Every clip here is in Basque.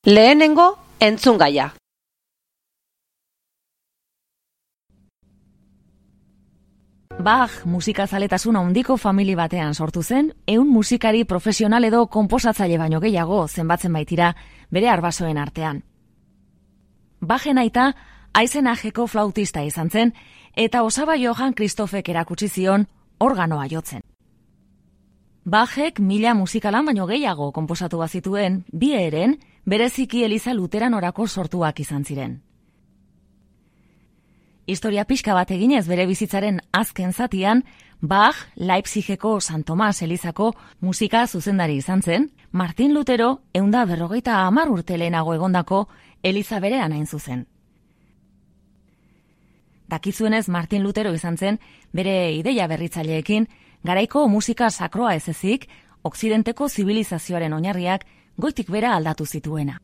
Lehenengo entzungaia. Bach musikazaletasun handiko famili batean sortu zen, 100 musikari profesional edo konposatzaile baino gehiago zenbatzen baitira bere arbasoen artean. Bachen aita Eisenacheko flautista izan zen, eta osaba Johann Christophek erakutsi zion organoa jotzen. Bachek 1000 musikalan baino gehiago konposatu bazituen, bi eren bereziki Eliza Luteranorako sortuak izan ziren. Historia pixka bat eginez bere bizitzaren azken zatian, Bach Leipzigeko San Tomas Elizako musika zuzendari izan zen, Martin Lutero 150 urte lehenago egondako Eliza berean hain zuzen. Dakizuenez Martin Lutero izan zen bere ideia berritzaileekin garaiko musika sakroa ez ezik, okzidenteko zibilizazioaren oinarriak goitik bera aldatu zituena.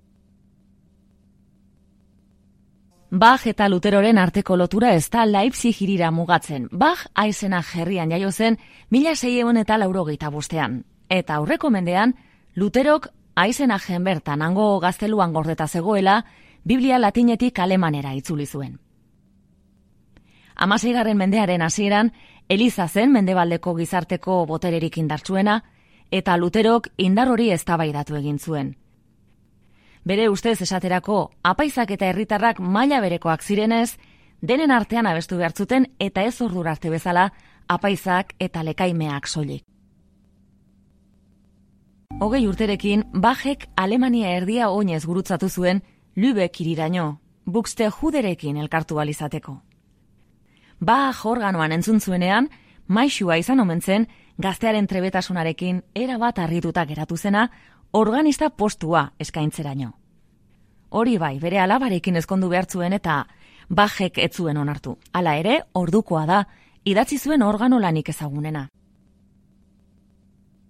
Bach eta Luteroren arteko lotura ez da Leipzig hirira mugatzen. Bach Eisenach herrian jaio zen 1685 eta aurreko mendean Luterok Eisenachen bertan hango gazteluan gordeta zegoela Biblia latinetik alemanera itzuli zuen. 16. mendearen hasieran Eliza zen mendebaldeko gizarteko botererik indartsuena eta Luterok indar hori eztabaidatu egin zuen. Bere ustez esaterako, apaizak eta herritarrak maila berekoak zirenez, denen artean abestu behartzuten eta ez ordura arte bezala apaizak eta lekaimeak soilik. 20 urterekin, Bachek Alemania erdia oinez gurutzatu zuen Lübeck hiriraino, Buxtehuderekin elkartu balizateko. Bach organoan entzun zuenean, maisua izan omen zen, gaztearen trebetasunarekin erabat harrituta geratu zena, organista postua eskaintzeraino. Hori bai, bere alabarekin ezkondu behartzuen eta Bachek ez zuen onartu. Hala ere, ordukoa da, idatzi zuen organo lanik ezagunena.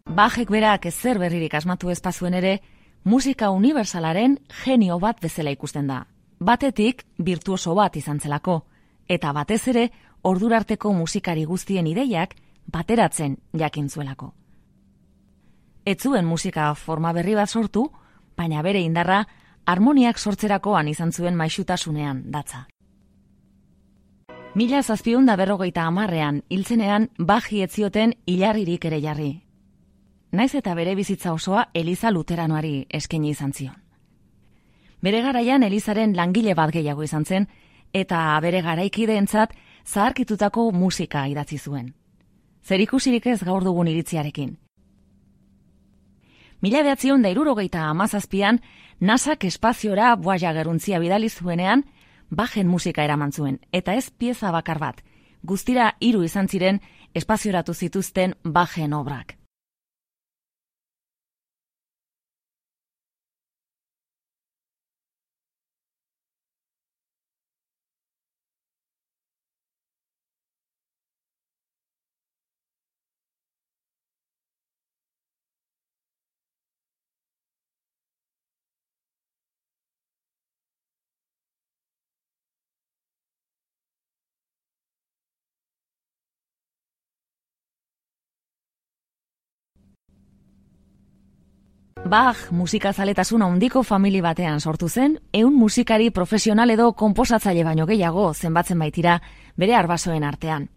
Bachek berak ezer berririk asmatu ezpazuen ere, musika unibersalaren genio bat bezala ikusten da. Batetik, virtuoso bat izan zelako, eta batez ere, ordurarteko musikari guztien ideiak bateratzen jakin zuelako. Ez zuen musika forma berri bat sortu, baina bere indarra harmoniak sortzerakoan izan zuen maisutasunean datza. 1750ean hiltzenean Bachi ez zioten ilarririk ere jarri. Naiz eta bere bizitza osoa Eliza Luteranoari eskaini izan zion. Bere garaian Elizaren langile bat gehiago izan zen, eta bere garaikideentzat zaharkitutako musika idatzi zuen. Zerikusirik ez gaur dugun iritziarekin. 1967an NASAk espaziora Voyager-untzia bidali zuenean Bachen musika eraman zuen, eta ez pieza bakar bat, guztira 3 izan ziren espazioratu zituzten Bachen obrak. Bach musikazaletasun handiko famili batean sortu zen, 100 musikari profesional edo konposatzaile baino gehiago zenbatzen baitira bere arbasoen artean.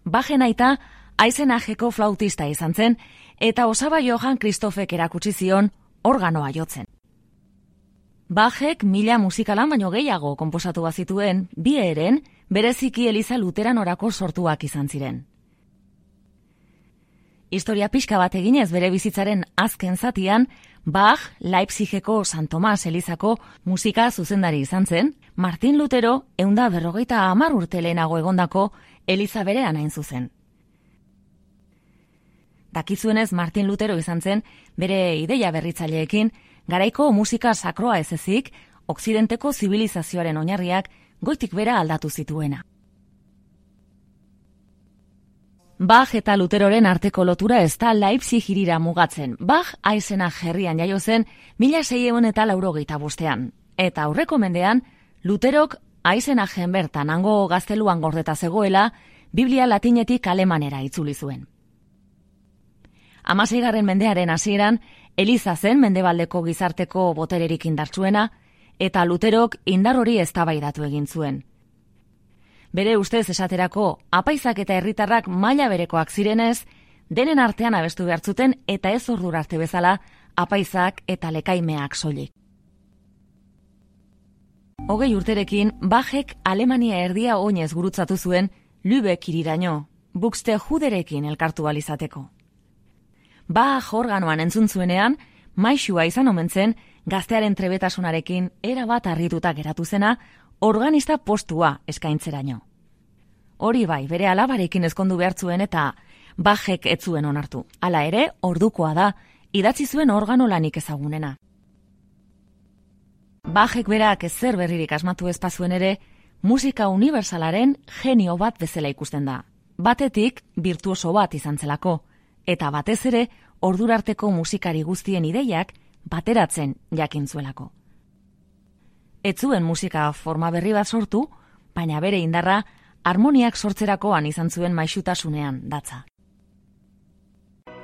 Bachen aita Eisenacheko flautista izan zen, eta osaba Johann Christophek erakutsi zion organoa jotzen. Bachek 1000 musikalan baino gehiago konposatu bazituen, bi eren bereziki Eliza Luteranorako sortuak izan ziren. Historia pixka bat eginez bere bizitzaren azken zatian, Bach Leipzigeko San Tomas Elizako musika zuzendari izan zen, Martin Lutero 150 urte lehenago egondako Eliza berean hain zuzen. Dakizuenez Martin Lutero izan zen bere ideia berritzaileekin garaiko musika sakroa ez ezik, okzidenteko zibilizazioaren oinarriak goitik bera aldatu zituena. Bach eta Luteroren arteko lotura ez da Leipzig hirira mugatzen. Bach Eisenach herrian jaio zen 1685 eta aurreko mendean Luterok Eisenachen bertan hango gazteluan gordeta zegoela Biblia latinetik alemanera itzuli zuen. 16. mendearen hasieran, Eliza zen mendebaldeko gizarteko botererik indartsuena, eta Luterok indar hori eztabaidatu egin zuen. Bere ustez esaterako, apaizak eta herritarrak maila berekoak zirenez, denen artean abestu behartzuten eta ez ordura arte bezala, apaizak eta lekaimeak soilik. 20 urterekin, Bachek Alemania erdia oinez gurutzatu zuen Lübeck hiriraino, Buxtehuderekin elkartu balizateko. Bach organoan entzun zuenean, maisua izan omen zen, gaztearen trebetasunarekin erabat harrituta geratu zena, organista postua eskaintzeraino. Hori bai, bere alabarekin ezkondu behartzuen eta Bachek ez zuen onartu. Hala ere, ordukoa da, idatzi zuen organo lanik ezagunena. Bachek berak ezer berririk asmatu ezpazuen ere, musika unibersalaren genio bat bezala ikusten da. Batetik, virtuoso bat izan zelako, eta batez ere, ordurarteko musikari guztien ideiak bateratzen jakin zuelako. Ez zuen musika forma berri bat sortu, baina bere indarra harmoniak sortzerakoan izan zuen maisutasunean datza.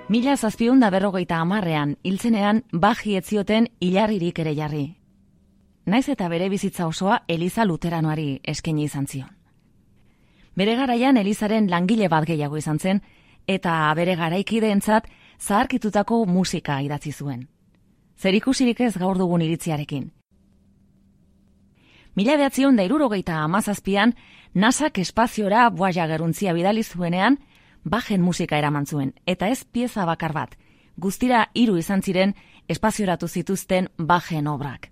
1750ean hiltzenean Bachi ez zioten hilarririk ere jarri. Naiz eta bere bizitza osoa Eliza Luteranoari eskaini izan zion. Bere garaian Elizaren langile bat gehiago izan zen, eta bere garaikideentzat zaharkitutako musika idatzi zuen. Zerikusirik ez gaur dugun iritziarekin. 1967an NASAk espaziora Voyager-untzia bidali zuenean, Bachen musika eraman zuen, eta ez pieza bakar bat, guztira 3 izan ziren espazioratu zituzten Bachen obrak.